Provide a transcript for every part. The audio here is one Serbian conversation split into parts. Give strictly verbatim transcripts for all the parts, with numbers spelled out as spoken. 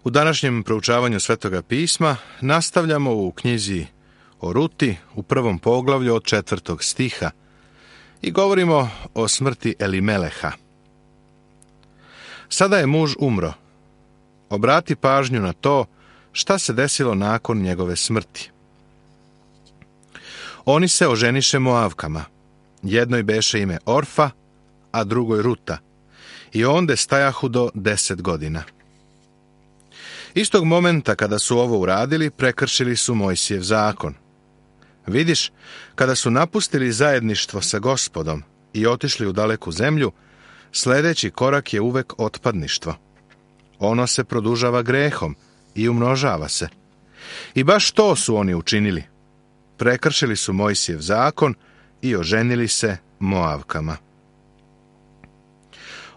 U današnjem proučavanju Svetoga pisma nastavljamo u knjizi o Ruti u prvom poglavlju od četvrtog stiha i govorimo o smrti Elimeleha. Sada je muž umro. Obrati pažnju na to šta se desilo nakon njegove smrti. Oni se oženiše Moavkama. Jednoj beše ime Orfa, a drugoj Ruta. I onde stajahu do deset godina. Istog momenta kada su ovo uradili, prekršili su Mojsijev zakon. Vidiš, kada su napustili zajedništvo sa Gospodom i otišli u daleku zemlju, sljedeći korak je uvek otpadništvo. Ono se produžava grehom i umnožava se. I baš to su oni učinili. Prekršili su Mojsijev zakon i oženili se Moavkama.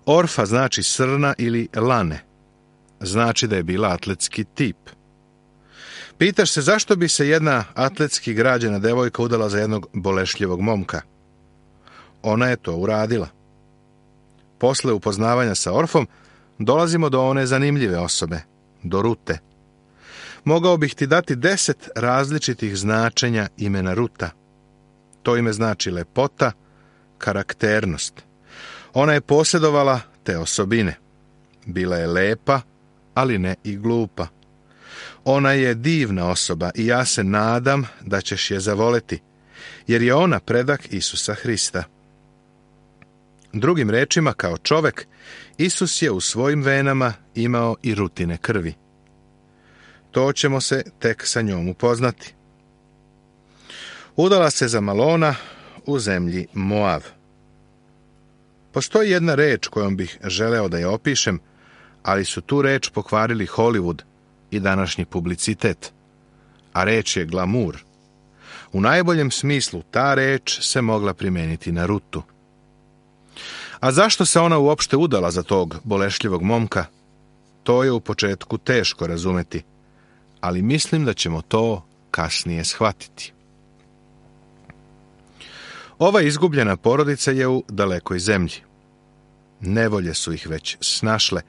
Orfa znači srna ili lane. Znači da je bila atletski tip. Pitaš se zašto bi se jedna atletski građena devojka udala za jednog bolešljivog momka. Ona je to uradila. Posle upoznavanja sa Orfom dolazimo do one zanimljive osobe, do Rute. Mogao bih ti dati deset različitih značenja imena Ruta. To ime znači lepota, karakternost. Ona je posjedovala te osobine. Bila je lepa, ali ne i glupa. Ona je divna osoba i ja se nadam da ćeš je zavoleti, jer je ona predak Isusa Hrista. Drugim rečima, kao čovek, Isus je u svojim venama imao i Rutine krvi. To ćemo se tek sa njom upoznati. Udala se za Malona u zemlji Moav. Postoji jedna reč kojom bih želeo da je opišem, ali su tu reč pokvarili Hollywood i današnji publicitet. A reč je glamur. U najboljem smislu ta reč se mogla primijeniti na Rutu. A zašto se ona uopšte udala za tog bolešljivog momka? To je u početku teško razumeti, ali mislim da ćemo to kasnije shvatiti. Ova izgubljena porodica je u dalekoj zemlji. Nevolje su ih već snašle,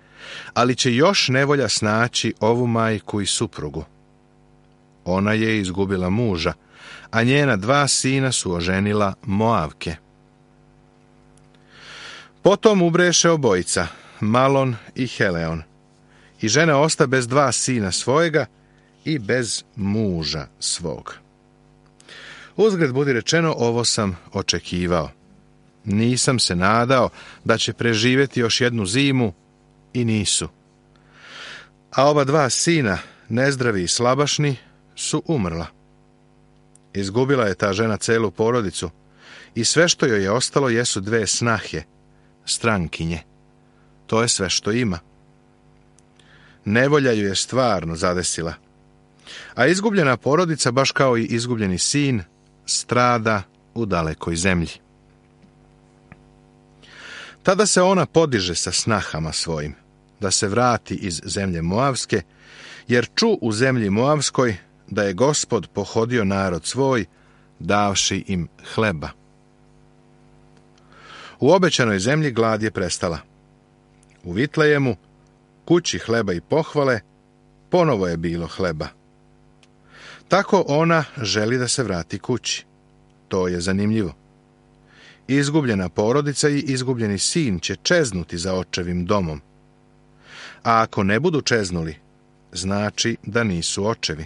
ali će još nevolja snaći ovu majku i suprugu. Ona je izgubila muža, a njena dva sina su oženila Moavke. Potom ubreše obojica, Malon i Heleon, i žena osta bez dva sina svojega i bez muža svog. Uzgred budi rečeno, ovo sam očekivao. Nisam se nadao da će preživjeti još jednu zimu i nisu. A ova dva sina, nezdravi i slabašni, su umrla. Izgubila je ta žena celu porodicu i sve što joj je ostalo jesu dve snahe, strankinje. To je sve što ima. Nevolja ju je stvarno zadesila. A izgubljena porodica, baš kao i izgubljeni sin, strada u dalekoj zemlji. Tada se ona podiže sa snahama svojim, da se vrati iz zemlje Moavske, jer ču u zemlji Moavskoj da je Gospod pohodio narod svoj, davši im hleba. U obećanoj zemlji glad je prestala. U Vitlejemu, kući hleba i pohvale, ponovo je bilo hleba. Tako ona želi da se vrati kući. To je zanimljivo. Izgubljena porodica i izgubljeni sin će čeznuti za očevim domom. A ako ne budu čeznuli, znači da nisu očevi.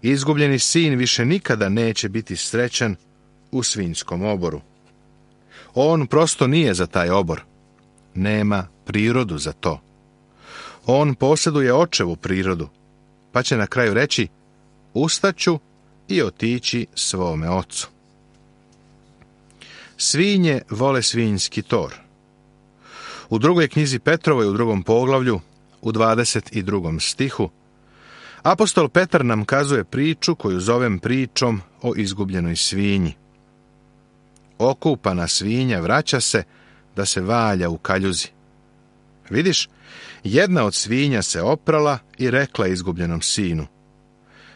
Izgubljeni sin više nikada neće biti srećan u svinjskom oboru. On prosto nije za taj obor. Nema prirodu za to. On posjeduje očevu prirodu, pa će na kraju reći: ustaću i otići svome ocu. Svinje vole svinjski tor. U drugoj knjizi Petrovoj, u drugom poglavlju, u dvadeset drugom stihu, apostol Petar nam kazuje priču koju zovem pričom o izgubljenoj svinji. Okupana svinja vraća se da se valja u kaljuzi. Vidiš, jedna od svinja se oprala i rekla izgubljenom sinu: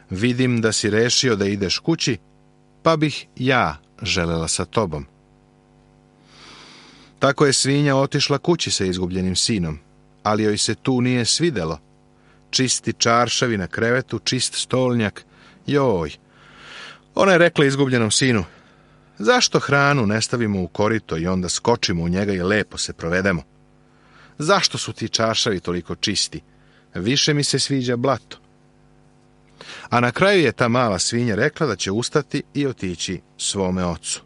vidim da si rešio da ideš kući, pa bih ja želela sa tobom. Tako je svinja otišla kući sa izgubljenim sinom, ali joj se tu nije svidelo, čisti čaršavi na krevetu, čist stolnjak. Joj! Ona je rekla izgubljenom sinu, zašto hranu ne stavimo u korito i onda skočimo u njega i lepo se provedemo? Zašto su ti čaršavi toliko čisti? Više mi se sviđa blato. A na kraju je ta mala svinja rekla da će ustati i otići svome ocu.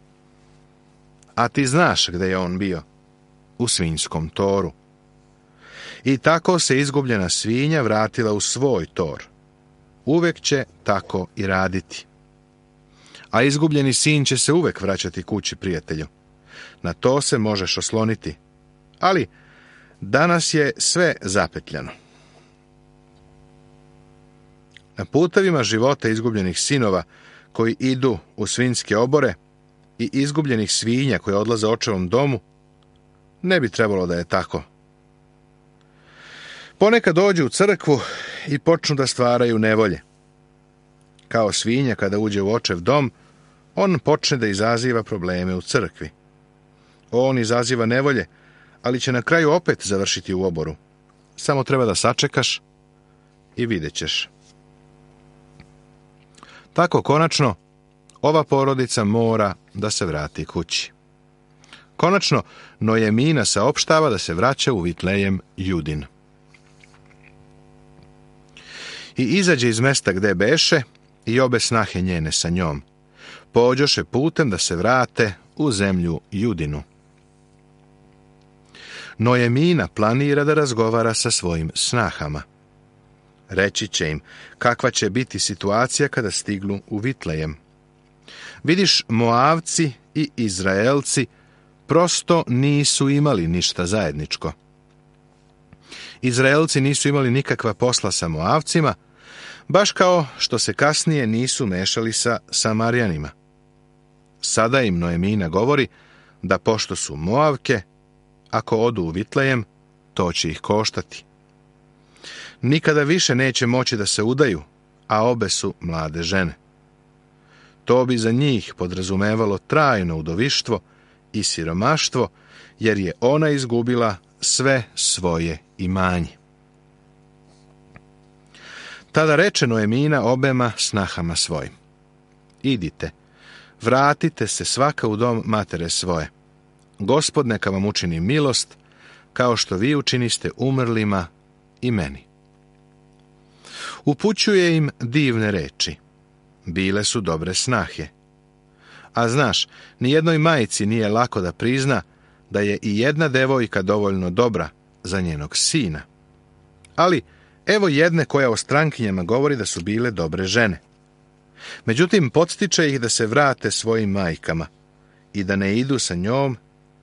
A ti znaš gde je on bio? U svinjskom toru. I tako se izgubljena svinja vratila u svoj tor. Uvek će tako i raditi. A izgubljeni sin će se uvek vraćati kući, prijatelju. Na to se možeš osloniti. Ali danas je sve zapetljano. Na putevima života izgubljenih sinova koji idu u svinjske obore i izgubljenih svinja koje odlaze očevom domu, ne bi trebalo da je tako. Ponekad dođu u crkvu i počnu da stvaraju nevolje. Kao svinja kada uđe u očev dom, on počne da izaziva probleme u crkvi. On izaziva nevolje, ali će na kraju opet završiti u oboru. Samo treba da sačekaš i vidjet ćeš. Tako konačno, ova porodica mora da se vrati kući. Konačno, Nojemina saopštava da se vraća u Vitlejem Judin. I izađe iz mesta gde beše i obe snahe njene sa njom. Pođoše putem da se vrate u zemlju Judinu. Nojemina planira da razgovara sa svojim snahama. Reći će im kakva će biti situacija kada stignu u Vitlejem. Vidiš, Moavci i Izraelci prosto nisu imali ništa zajedničko. Izraelci nisu imali nikakva posla sa Moavcima, baš kao što se kasnije nisu mešali sa Samarjanima. Sada im Nojemina govori da pošto su Moavke, ako odu u Vitlejem, to će ih koštati. Nikada više neće moći da se udaju, a obe su mlade žene. To bi za njih podrazumevalo trajno udovištvo i siromaštvo, jer je ona izgubila sve svoje imanje. Tada reče Nojemina obema snahama svojim: idite, vratite se svaka u dom matere svoje. Gospod neka vam učini milost, kao što vi učiniste umrlima i meni. Upućuje im divne reči. Bile su dobre snahe. A znaš, nijednoj majci nije lako da prizna da je i jedna devojka dovoljno dobra za njenog sina. Ali evo jedne koja o strankinjama govori da su bile dobre žene. Međutim, podstiče ih da se vrate svojim majkama i da ne idu sa njom,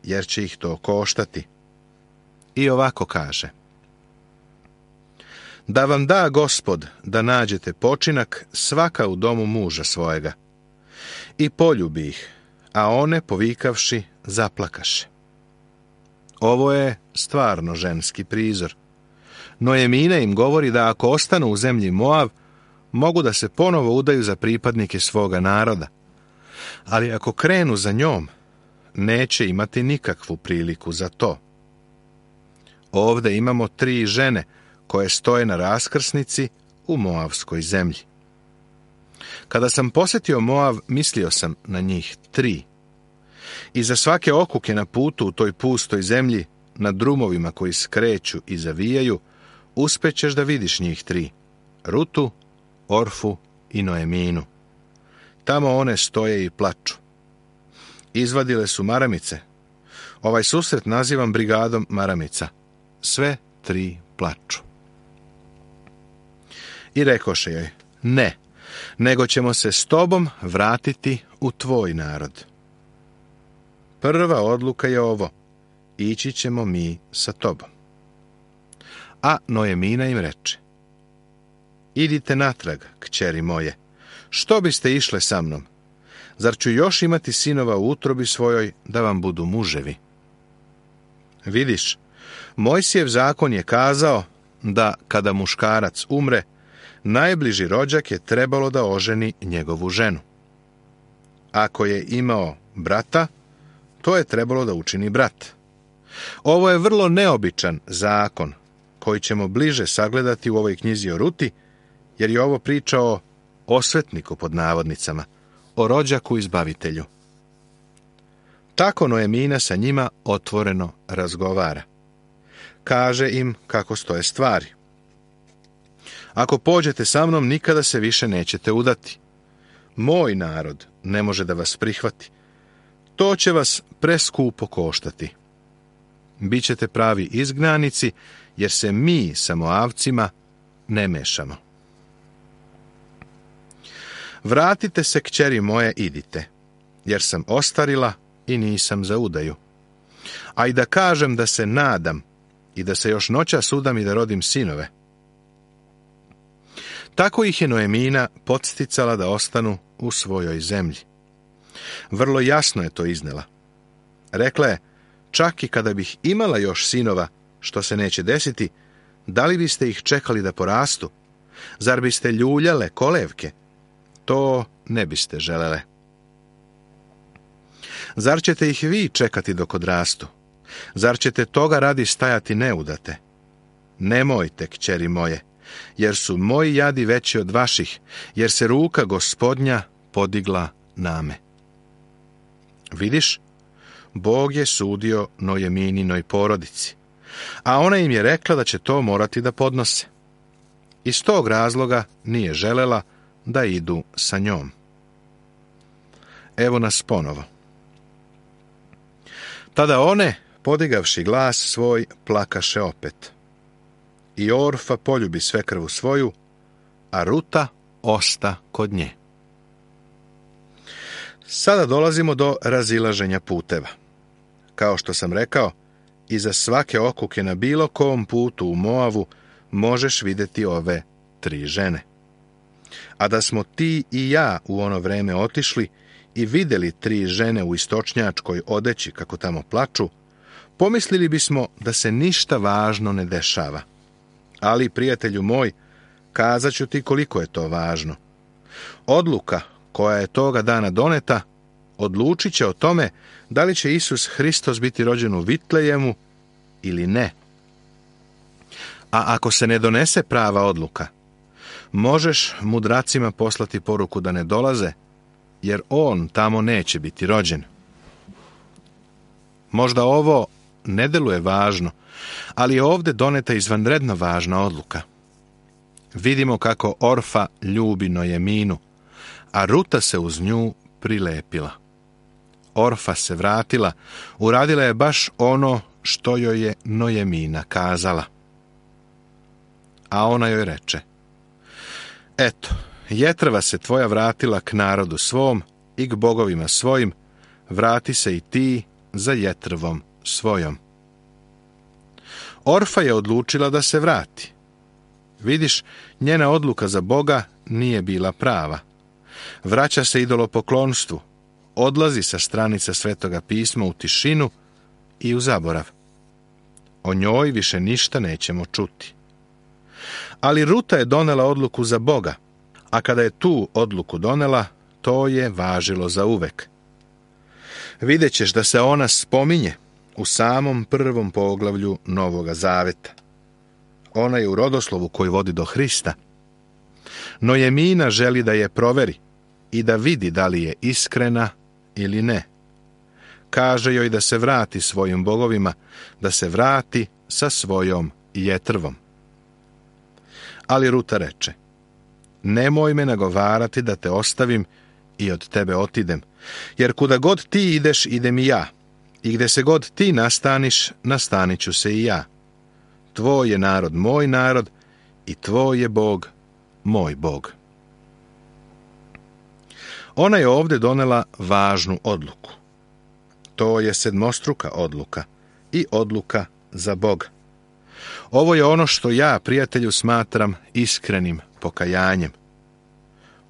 jer će ih to koštati. I ovako kaže: da vam da Gospod da nađete počinak svaka u domu muža svojega. I poljubi ih, a one, povikavši, zaplakaše. Ovo je stvarno ženski prizor. Nojemina im govori da ako ostanu u zemlji Moav, mogu da se ponovo udaju za pripadnike svoga naroda. Ali ako krenu za njom, neće imati nikakvu priliku za to. Ovde imamo tri žene koje stoje na raskrsnici u Moavskoj zemlji. Kada sam posjetio Moav, mislio sam na njih tri. I za svake okuke na putu u toj pustoj zemlji, na drumovima koji skreću i zavijaju, uspećeš da vidiš njih tri: Rutu, Orfu i Noeminu. Tamo one stoje i plaču. Izvadile su maramice. Ovaj susret nazivam brigadom maramica. Sve tri plaču. I rekoše joj: ne, nego ćemo se s tobom vratiti u tvoj narod. Prva odluka je ovo: ići ćemo mi sa tobom. A Nojemina im reče: idite natrag, kćeri moje, što biste išle sa mnom? Zar ću još imati sinova u utrobi svojoj da vam budu muževi? Vidiš, Mojsijev zakon je kazao da kada muškarac umre, najbliži rođak je trebalo da oženi njegovu ženu. Ako je imao brata, to je trebalo da učini brat. Ovo je vrlo neobičan zakon koji ćemo bliže sagledati u ovoj knjizi o Ruti, jer je ovo priča o osvetniku pod navodnicama, o rođaku izbavitelju. Tako Noemina sa njima otvoreno razgovara. Kaže im kako stoje stvari. Ako pođete sa mnom, nikada se više nećete udati. Moj narod ne može da vas prihvati. To će vas preskupo koštati. Bićete pravi izgnanici, jer se mi sa Moavcima ne mešamo. Vratite se, kćeri moje, idite, jer sam ostarila i nisam za udaju. A i da kažem da se nadam i da se još noćas udam i da rodim sinove. Tako ih je Noemina podsticala da ostanu u svojoj zemlji. Vrlo jasno je to iznela. Rekla je, čak i kada bih imala još sinova, što se neće desiti, da li biste ih čekali da porastu? Zar biste ljuljale kolevke? To ne biste želele. Zar ćete ih vi čekati dok odrastu? Zar ćete toga radi stajati neudate? Nemojte, kćeri moje, jer su moji jadi veći od vaših, jer se ruka Gospodnja podigla na me. Vidiš, Bog je sudio Noemininoj porodici, a ona im je rekla da će to morati da podnose. Iz tog razloga nije želela da idu sa njom. Evo nas ponovo. Tada one, podigavši glas svoj, plakaše opet. I Orfa poljubi svekrvu svoju, a Ruta osta kod nje. Sada dolazimo do razilaženja puteva. Kao što sam rekao, iza svake okuke na bilo kom putu u Moavu možeš vidjeti ove tri žene. A da smo ti i ja u ono vreme otišli i vidjeli tri žene u istočnjačkoj odeći kako tamo plaču, pomislili bismo da se ništa važno ne dešava. Ali, prijatelju moj, kazat ću ti koliko je to važno. Odluka koja je toga dana doneta odlučit će o tome da li će Isus Hristos biti rođen u Vitlejemu ili ne. A ako se ne donese prava odluka, možeš mudracima poslati poruku da ne dolaze, jer on tamo neće biti rođen. Možda ovo ne deluje važno, ali je ovdje doneta izvanredno važna odluka. Vidimo kako Orfa ljubi Noeminu, a Ruta se uz nju prilepila. Orfa se vratila, uradila je baš ono što joj je Noemina kazala. A ona joj reče, eto, jetrva se tvoja vratila k narodu svom i k bogovima svojim, vrati se i ti za jetrvom svojom. Orfa je odlučila da se vrati. Vidiš, njena odluka za Boga nije bila prava. Vraća se idolopoklonstvu, odlazi sa stranica Svetoga pisma u tišinu i u zaborav. O njoj više ništa nećemo čuti. Ali Ruta je donela odluku za Boga, a kada je tu odluku donela, to je važilo za uvek. Vidjet ćeš da se ona spominje u samom prvom poglavlju Novoga Zaveta. Ona je u rodoslovu koji vodi do Hrista. Noemina želi da je proveri i da vidi da li je iskrena ili ne. Kaže joj da se vrati svojim bogovima, da se vrati sa svojom jetrvom. Ali Ruta reče, nemoj me nagovarati da te ostavim i od tebe otidem, jer kuda god ti ideš, idem i ja, i gde se god ti nastaniš, nastanit ću se i ja. Tvoj je narod moj narod i tvoj je Bog moj Bog. Ona je ovdje donela važnu odluku. To je sedmostruka odluka i odluka za Boga. Ovo je ono što ja, prijatelju, smatram iskrenim pokajanjem.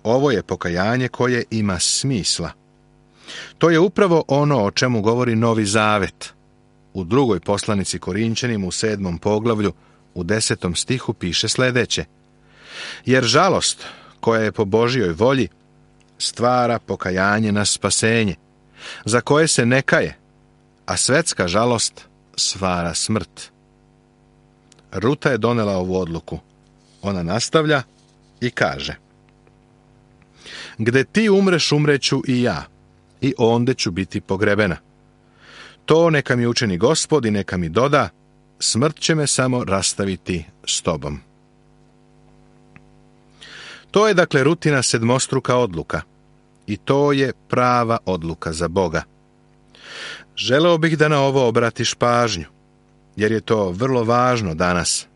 Ovo je pokajanje koje ima smisla. To je upravo ono o čemu govori Novi Zavet. U drugoj poslanici Korinćanima u sedmom poglavlju u desetom stihu piše sljedeće. Jer žalost koja je po Božjoj volji stvara pokajanje na spasenje, za koje se ne kaje, a svetska žalost stvara smrt. Ruta je donela ovu odluku. Ona nastavlja i kaže: Gde ti umreš, umreću i ja, i onde ću biti pogrebena. To neka mi učini Gospod i neka mi doda, smrt će me samo rastaviti s tobom. To je dakle Rutina sedmostruka odluka. I to je prava odluka za Boga. Želeo bih da na ovo obratiš pažnju, jer je to vrlo važno danas,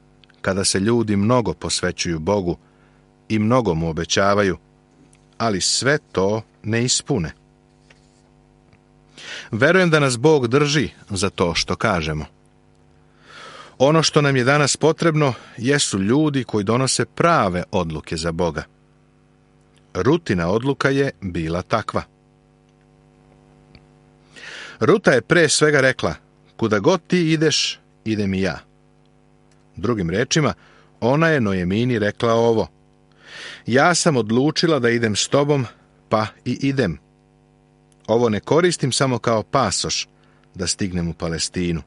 kada se ljudi mnogo posvećuju Bogu i mnogo mu obećavaju, ali sve to ne ispune. Verujem da nas Bog drži za to što kažemo. Ono što nam je danas potrebno jesu ljudi koji donose prave odluke za Boga. Rutina odluka je bila takva. Ruta je pre svega rekla: kuda god ti ideš, idem i ja. Drugim rečima, ona je Noemini rekla ovo: ja sam odlučila da idem s tobom, pa i idem. Ovo ne koristim samo kao pasoš da stignem u Palestinu.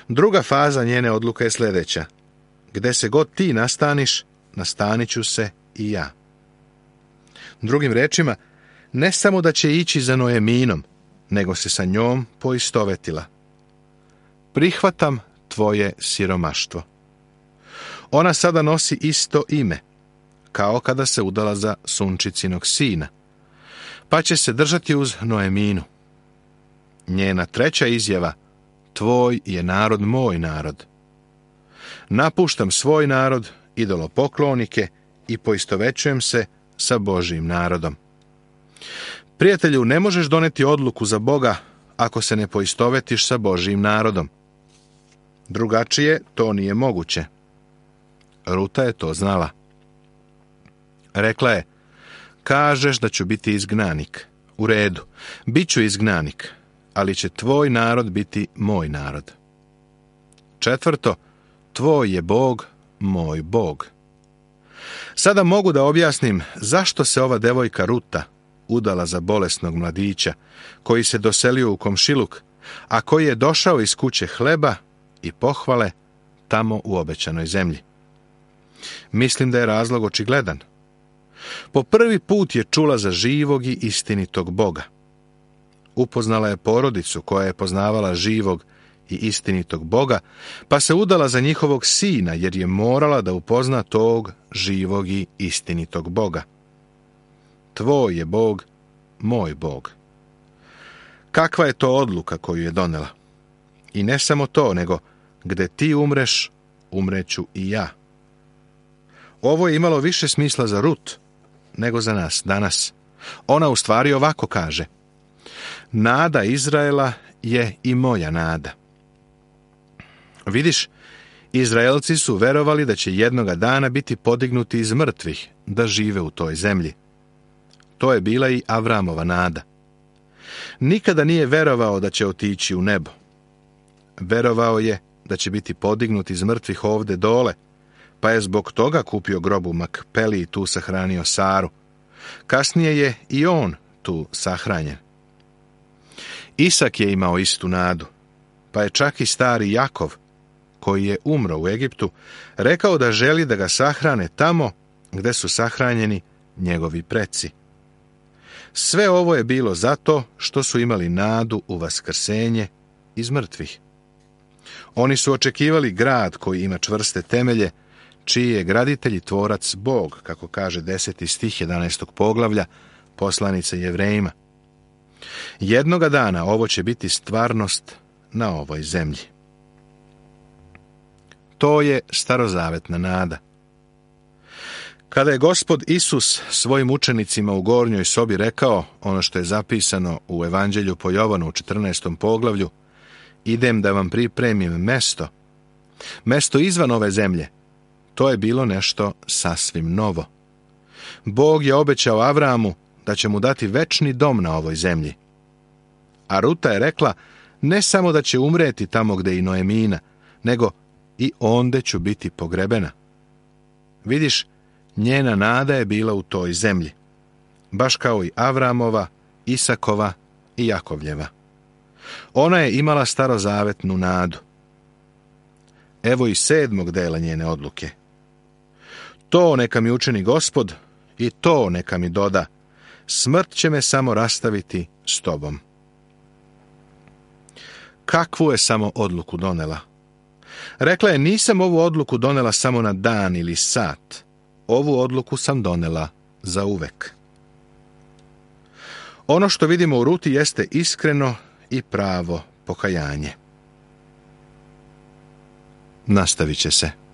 Druga faza njene odluke je sljedeća: gde se god ti nastaniš, nastanit ću se i ja. Drugim rečima, ne samo da će ići za Noeminom, nego se sa njom poistovetila. Prihvatam tvoje siromaštvo. Ona sada nosi isto ime, kao kada se udala za sunčicinog sina, pa će se držati uz Noeminu. Njena treća izjava: tvoj je narod moj narod. Napuštam svoj narod, idolopoklonike, i poistovećujem se sa Božjim narodom. Prijatelju, ne možeš doneti odluku za Boga ako se ne poistovetiš sa Božjim narodom. Drugačije to nije moguće. Ruta je to znala. Rekla je: kažeš da ću biti izgnanik. U redu, bit ću izgnanik, ali će tvoj narod biti moj narod. Četvrto, tvoj je Bog, moj Bog. Sada mogu da objasnim zašto se ova devojka Ruta udala za bolesnog mladića, koji se doselio u komšiluk, a koji je došao iz kuće hleba i pohvale tamo u obećanoj zemlji. Mislim da je razlog očigledan. Po prvi put je čula za živog i istinitog Boga. Upoznala je porodicu koja je poznavala živog i istinitog Boga, pa se udala za njihovog sina, jer je morala da upozna tog živog i istinitog Boga. Tvoj je Bog, moj Bog. Kakva je to odluka koju je donela? I ne samo to, nego gde ti umreš, umreću i ja. Ovo je imalo više smisla za Rut nego za nas danas. Ona u stvari ovako kaže: nada Izraela je i moja nada. Vidiš, Izraelci su verovali da će jednoga dana biti podignuti iz mrtvih, da žive u toj zemlji. To je bila i Avramova nada. Nikada nije verovao da će otići u nebo. Verovao je da će biti podignut iz mrtvih ovde dole, pa je zbog toga kupio grob u Makpeli i tu sahranio Saru. Kasnije je i on tu sahranjen. Isak je imao istu nadu, pa je čak i stari Jakov, koji je umro u Egiptu, rekao da želi da ga sahrane tamo gde su sahranjeni njegovi preci. Sve ovo je bilo zato što su imali nadu u vaskrsenje iz mrtvih. Oni su očekivali grad koji ima čvrste temelje, čiji je graditelj i tvorac Bog, kako kaže deseti stih jedanaestog poglavlja poslanice Jevrejima. Jednoga dana ovo će biti stvarnost na ovoj zemlji. To je starozavetna nada. Kada je Gospod Isus svojim učenicima u gornjoj sobi rekao ono što je zapisano u Evanđelju po Jovanu u četrnaestom poglavlju: idem da vam pripremim mesto, mesto izvan ove zemlje, to je bilo nešto sasvim novo. Bog je obećao Avramu da će mu dati večni dom na ovoj zemlji. A Ruta je rekla: ne samo da će umreti tamo gde i Noemina, nego i onde ću biti pogrebena. Vidiš, njena nada je bila u toj zemlji, baš kao i Avramova, Isakova i Jakovljeva. Ona je imala starozavetnu nadu. Evo i sedmog dela njene odluke. To neka mi učini Gospod i to neka mi doda. Smrt će me samo rastaviti s tobom. Kakvu je samo odluku donela? Rekla je, nisam ovu odluku donela samo na dan ili sat. Ovu odluku sam donela za uvek. Ono što vidimo u Ruti jeste iskreno i pravo pokajanje. Nastavit će se.